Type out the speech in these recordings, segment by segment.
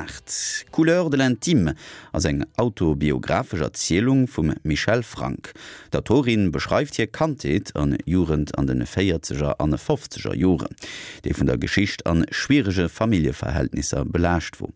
2008. Couleurs de l'intime ass eng autobiographesch Erzielung vum Michèle Frank. D'Autorin beschreift hir Kandheet an Jugend an de véierzeger an fofzeger Joren, déi vun der Geschicht an schwierege Familljeverhältnisser belaascht wor.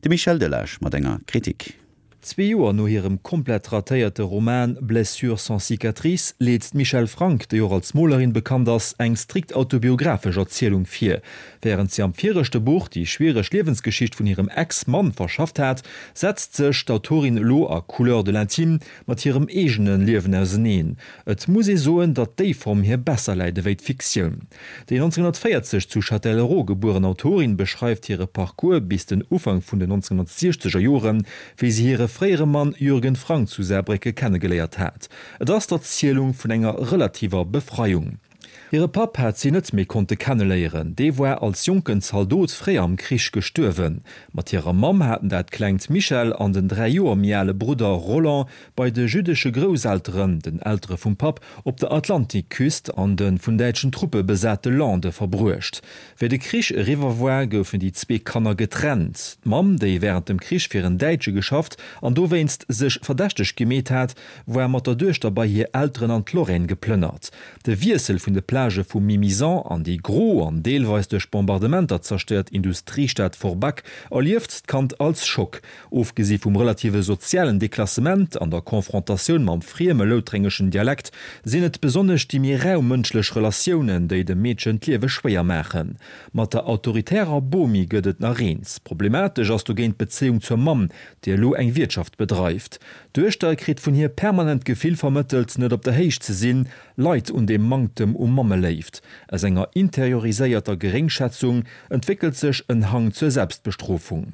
De Michel Delage mat enger Kritik. Zwee Joer no hirem komplett ratéierte Roman Blessures sans cicatrices leet d'Michèle Frank, déi och als Molerin bekannt ass, eng strikt autobiographesch Erzielung vir. Wärend si am viregte Buch déi schwiereg Liewensgeschicht vun hirem Ex-Mann verschafft hat, setzt sech d'Autorin elo a Couleurs de l'intime mat hirem eegene Liewen auseneen. Et muss ee soen, datt déi Form hir besser läit ewéi d'Fiktioun. Déi 1940 zu Châtellerault gebueren Autorin beschreift hire Parcours bis den Ufank vun den 1960er Joren, wéi si hire fréiere Mann Jürgen Frank zu Saarbrécke kennegeléiert hat. Et ass d'Erzielung vun enger relativer Befreiung. Hire Papp hat si net méi konnte kenneléieren, dee war als jonken Zaldot fréi am Krich gestuerwen. Mat hirer Mamm haten dat klengt Michèle an den 3 Joer méi ale Brudder Roland bei de jüddesche Grousselteren, den Eltere vum Papp, op der Atlantikküst an de vun däitschen Truppe besate Lande verbruecht. Wéi de Krich eriwwer war, goufen déi zwee Kanner getrennt. D'Mamm, déi wärend dem Krich fir en Däitsche geschafft an dowéinst sech verdächteg gemeet hat, war mat der Duechter bei hir Elteren an d'Lorraine geplënnert. De Wiessel vun de Plagë vu Mimizan an déi gro an deelweis duerch Bombardementer zerstéiert Industriestad Forbach erlieft d'Kand als Schock. Ofgesi vum relative sozialen Deklassement an der Confrontatioun mam frieme loutrengeschen Dialekt sinn et besonnesch déi méi rau mënschlech Relatiounen, déi dem Meedchen d'Liewe schwéier maachen. Mat der autoritärer Bomi gëtt et nach eens. Problematesch ass dogéint d'Bezéiung zur Mamm, déi elo eng Wiertschaft bedreift. D'Duechter kritt vun hir permanent d'Gefill vermëttelt, net op der Héicht ze sinn, leit un deem Manktem u Mammeléift. Aus enger interioriséierter Geréngschätzung entwéckelt sech en Hang zur Selbstbestrofung.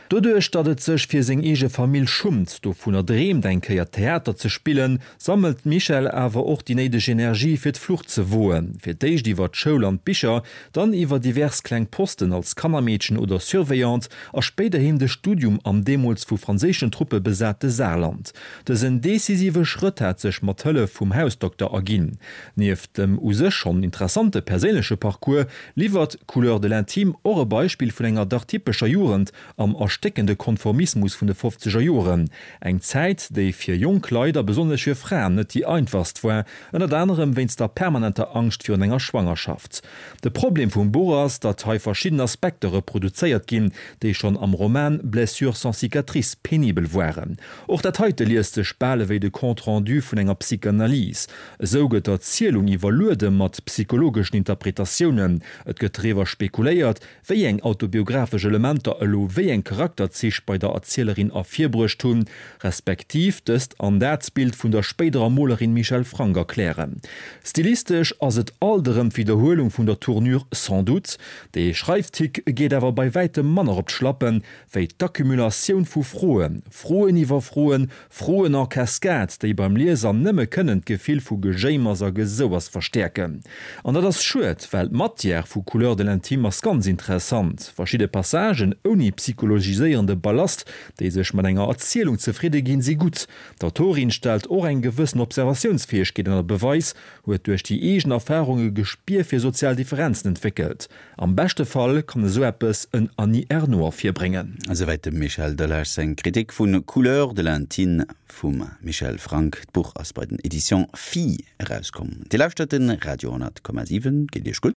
Doduerch, datt et sech fir seng eege Famill schummt, dovunner dreemt eng Kéier Theater ze spillen, sammelt d'Michèle awer och déi néideg Energie fir d'Flucht ze woen. Fir d'éischt iwwer d'Schoul an d'Bicher, dann iwwer divers kleng Posten als Kannermeedchen oder Surveillante a spéiderhin de Studium am deemools vu franséischen Truppe besate Saarland. Dësen decisive Schrëtt hat sech mat Hëllef vum Hausdokter erginn. Nieft dem u sech schonn interessante perséinleche Parcours liwwert Couleurs de l'intime och e Beispill vun enger dach typescher Jugend am erstéckende Konformismus vun de fofzeger Joren. Eng Zäit, déi fir jonk Leit a besonnesch fir Fraen net déi einfachst war, ënnert anerem wéinst der permanenter Angscht virun enger Schwangerschaft. De Problem vum Buch ass, datt hei verschidden Aspekter reproduzéiert ginn, déi schonn am Roman Blessures sans cicatrices penibel waren. Och dat heite liest sech bal ewéi de Compte rendu vun enger Psychanalyse. Esou gëtt d'Erzielung iwwerluede mat psychologeschen Interpretatiounen, et gëtt driwwer spekuléiert, wéi eng autobiographesch Elementer elo wéi eng Charakterzich bei der Erzielerin ervirbruecht hunn, respektiv dëst an dat Bild vun der spéiderer Molerin Michèle Frank erklären. Stilistesch ass et alt erëm d'Widderhuelung vun der Tournure sans doute. De Schreiftick geet awer bei wäitem manner op d'Schlappen, wéi d'Accumulatioun vu Froen, Froen iwwer Froen, Froen en cascade, déi beim Lieser nëmme kënnen d'Gefill vu Gejéimers a Gesouers verstäerken. An dat ass schued, well d'Matière vu Couleurs de l'intime ass ganz interessant. Verschidde Passagen ouni psychologiséierende Ballast, déi sech mat enger Erzielung zefridde ginn, si gutt. D'Autorin stellt och eng gewëssen Observatiounsfäegkeet ënner Beweis, huet duerch déi eegen Erfarung e Gespier fir sozial Differenzen entwéckelt. Am beschte Fall kann esou eppes en Annie Ernaux ervirbréngen. Esouwäit dem Michel Delage seng Kritik vu Couleurs de l'intime vum Michel Frank. D'Buch ass bei den Editions Phi erauskomm. Dir lauschtert de Radio 10,7. Geet Iech gutt?